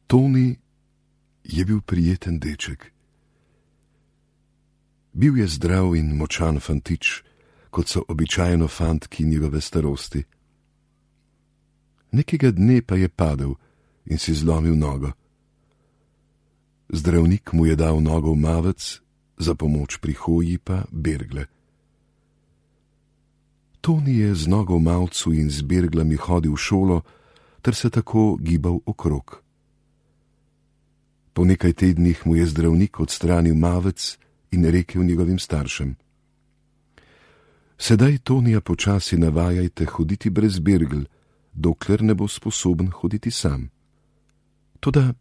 Toni je bil prijeten deček. Bil je zdrav in močan fantič, kot so običajno fantki njegove starosti. Nekega dne pa je padel in si zlomil nogo. Zdravnik mu je dal nogo v mavec, za pomoč pri hoji pa bergle. Toni je z nogo v mavcu in z berglami hodil v šolo, ter se tako gibal okrog. Po nekaj tednih mu je zdravnik odstranil mavec in rekel njegovim staršem: Sedaj Tonija počasi navajajte hoditi brez bergel, dokler ne bo sposoben hoditi sam. Toda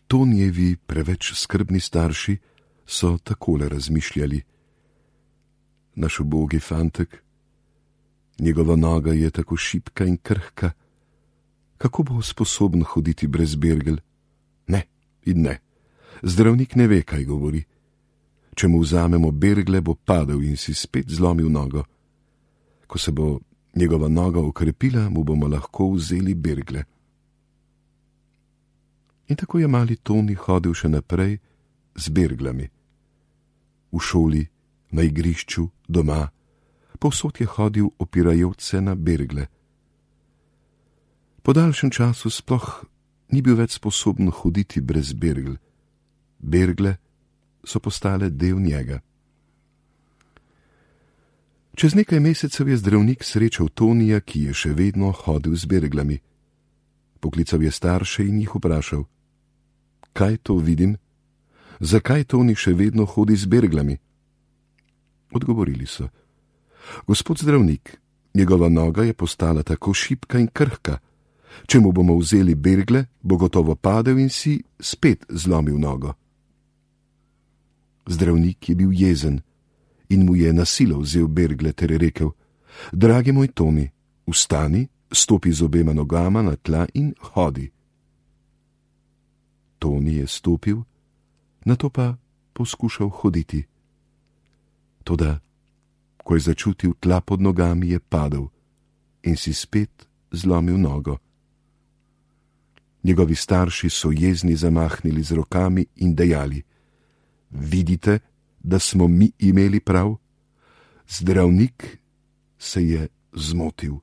Tonijevi preveč skrbni starši so takole razmišljali: naš ubogi fantek, njegova noga je tako šibka in krhka, kako bo sposoben hoditi brez bergel? Ne in ne, zdravnik ne ve, kaj govori. Če mu vzamemo bergle, bo padel in si spet zlomil nogo. Ko se bo njegova noga okrepila, mu bomo lahko vzeli bergle. In tako je mali Toni hodil še naprej z berglami. V šoli, na igrišču, doma, povsod je hodil opirajoč se na bergle. Po daljšem času sploh ni bil več sposoben hoditi brez bergl. Bergle so postale del njega. Čez nekaj mesecev je zdravnik srečal Tonija, ki je še vedno hodil z berglami. Poklical je starše in jih vprašal: Kaj to vidim? Zakaj Toni še vedno hodi z berglami? Odgovorili so: Gospod zdravnik, njegova noga je postala tako šibka in krhka. Če mu bomo vzeli bergle, bo gotovo padel in si spet zlomil nogo. Zdravnik je bil jezen in mu je na silo vzel bergle ter rekel: Dragi moj Toni, vstani, stopi z obema nogama na tla in hodi. Toni je stopil, nato pa poskušal hoditi. Toda, ko je začutil tla pod nogami, je padel in si spet zlomil nogo. Njegovi starši so jezni zamahnili z rokami in dejali: Vidite, da smo mi imeli prav? Zdravnik se je zmotil.